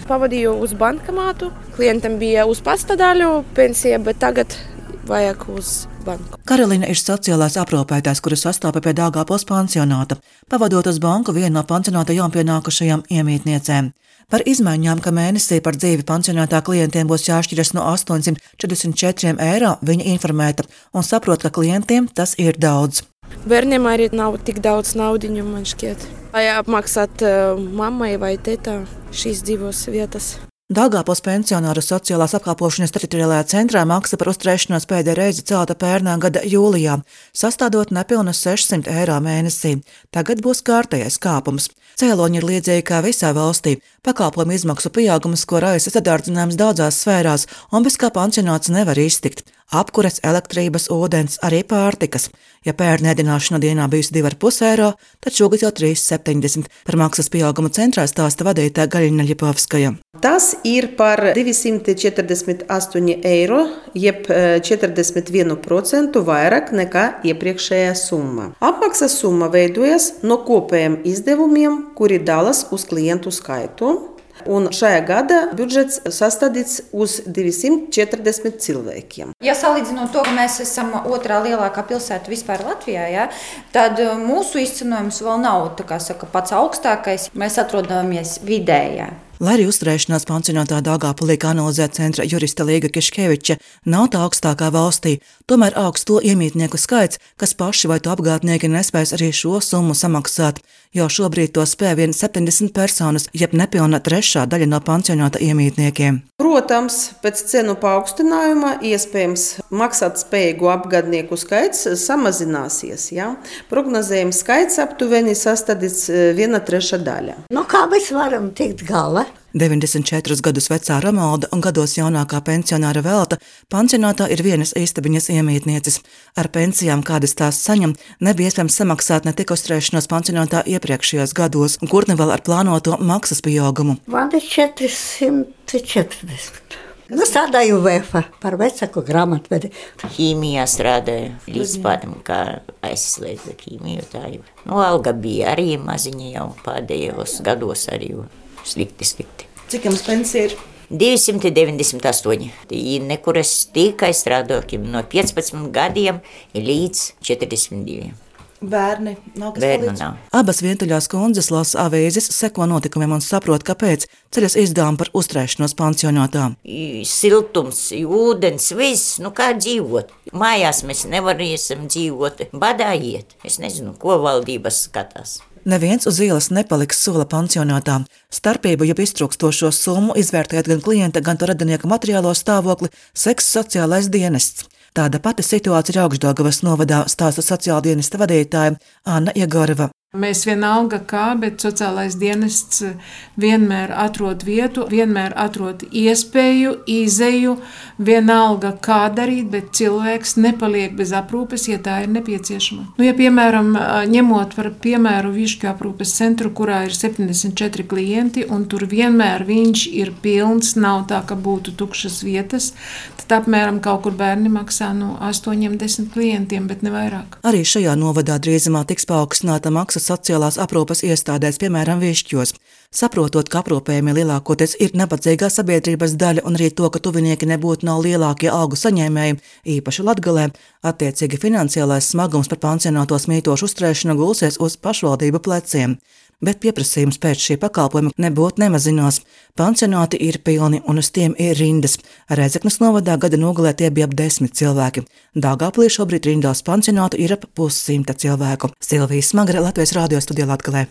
Pavadīju uz bankomātu. Klientam bija uz pasta daļu pensija, bet tagad vajag uz banku. Karolīna ir sociālais aprūpētājs, kuru sastāpa pie Daugavpils pansionāta, pavadot uz banku vienu no pansionāta jaunpienākušajām iemītniecēm. Par izmaiņām, ka mēnesī par dzīvi pansionātā klientiem būs jāšķiras no 844 eiro, viņa informēta un saprot, ka klientiem tas ir daudz. Bērniem arī nav tik daudz naudiņu, man šķiet. Vai apmaksāt mammai vai tētā šīs divas vietas. Daugavpils pensionāru sociālās apkalpošanas teritoriālajā centrā maksa par uzturēšanos pēdējo reizi celta pērnā gada jūlijā, sastādot nepilnus 600 eiro mēnesī. Tagad būs kārtējais kāpums. Cēloņi ir līdzīgi kā visā valstī. Pakalpojumu izmaksu pieaugums, ko raisa sadārdzināms daudzās sfērās, un bez kā pansionāts nevar iztikt. Apkures, elektrības, ūdens, arī pārtikas. Ja pērn ēdināšana dienā bijusi 2,5 eiro, tad šogad jau 3,70. Par maksas pieaugumu centrā stāsta vadītāja Gaļina Ļipovskaja. Tas ir par 248 eiro, jeb 41% vairāk nekā iepriekšējā summa. Apmaksas summa veidojas no kopējiem izdevumiem, kuri dalas uz klientu skaitu. Un šajā gada budžets sastādīts uz 240 cilvēkiem. Ja salīdzinot to, ka mēs esam otrā lielākā pilsēta vispār Latvijā, ja, tad mūsu izcenojums vēl nav pats augstākais. Mēs atrodamies vidējā. Lai arī uzturēšanās pansionātā Daugavpilī, kā analizē centra juriste Līga Kiškeviča, nav tā augstākā valstī, tomēr augsts to iemītnieku skaits, kas paši vai to apgādnieki nespēs arī šo summu samaksāt. Jau šobrīd to spēj vien 70 personas, jeb nepilna trešā daļa no pansionāta iemītniekiem. Protams, pēc cenu paaugstinājuma iespējams maksāt spējīgu apgādnieku skaits samazināsies. Ja? Prognozējums skaits aptuveni sastādīts 1/3 daļa. Kā mēs varam tikt galā? 94 gadus vecā Romalda un gados jaunākā pensionāra Velta pansionātā ir vienas istabiņas iemītnieces. Ar pensijām, kādas tās saņem, nebija iespējams samaksāt ne tik uzturēšanos pansionātā iepriekšējos gados, un kur ne vēl ar plānoto maksas pieaugumu. Man ir 440. Strādāju VF par vecāku grāmatvedi. Ķīmijā strādāju līdz pādam, kā aizslēdza ķīmiju. Alga bija arī maziņa jau pēdējos gados arī slikti. Cik jums pensija ir? 298. Nekur es tikai strādāju no 15 gadiem līdz 42. Bērni nav kas Bērnu palīdz? nav. Abas vientuļās kundzes lasa avīzes, seko notikumiem un saprot, kāpēc ceļas izdevumi par uzturēšanos pansionātā. Siltums, ūdens, viss, kā dzīvot. Mājās mēs nevarēsim dzīvot, badā iet. Es nezinu, ko valdības skatās. Neviens uz ielas nepaliks, sola pansionātā. Starpību, jeb iztrūkstošo summu, izvērtējot gan klienta, gan to radinieka materiālo stāvokli, seks sociālais dienests. Tāda pati situācija ir Augšdaugavas novadā, stāsta sociāldienesta vadītāja Anna Iegorova. Mēs vienalga kā, bet sociālais dienests vienmēr atrod vietu, vienmēr atrod iespēju, izeju, vienalga kā darīt, bet cilvēks nepaliek bez aprūpes, ja tā ir nepieciešama. Ja piemēram, ņemot par piemēru Višķu aprūpes centru, kurā ir 74 klienti, un tur vienmēr viņš ir pilns, nav tā, ka būtu tukšas vietas, tad apmēram kaut kur bērni maksā no 8-10 klientiem, bet ne vairāk. Arī šajā novadā drīzumā tiks paaugstināta maksa sociālās aprūpes iestādēs, piemēram, Višķos. Saprotot, ka aprūpējumi lielākoties ir nabadzīgā sabiedrības daļa un arī to, ka tuvinieki nebūtu nav lielākie algu saņēmēji, īpaši Latgalē, attiecīgi finansiālais smagums par pansionātos mītošu uzturēšanu gulsies uz pašvaldību pleciem. Bet pieprasījums pēc šī pakalpojuma nebūtu nemazinās. Pansionāti ir pilni un uz tiem ir rindas. Rēzeknes novadā gada nogalē tie bija ap 10 cilvēki. Daugavpilī šobrīd rindās pansionātu ir ap 100 cilvēku. Silvija Smagre, Latvijas radio studijā Latgalē.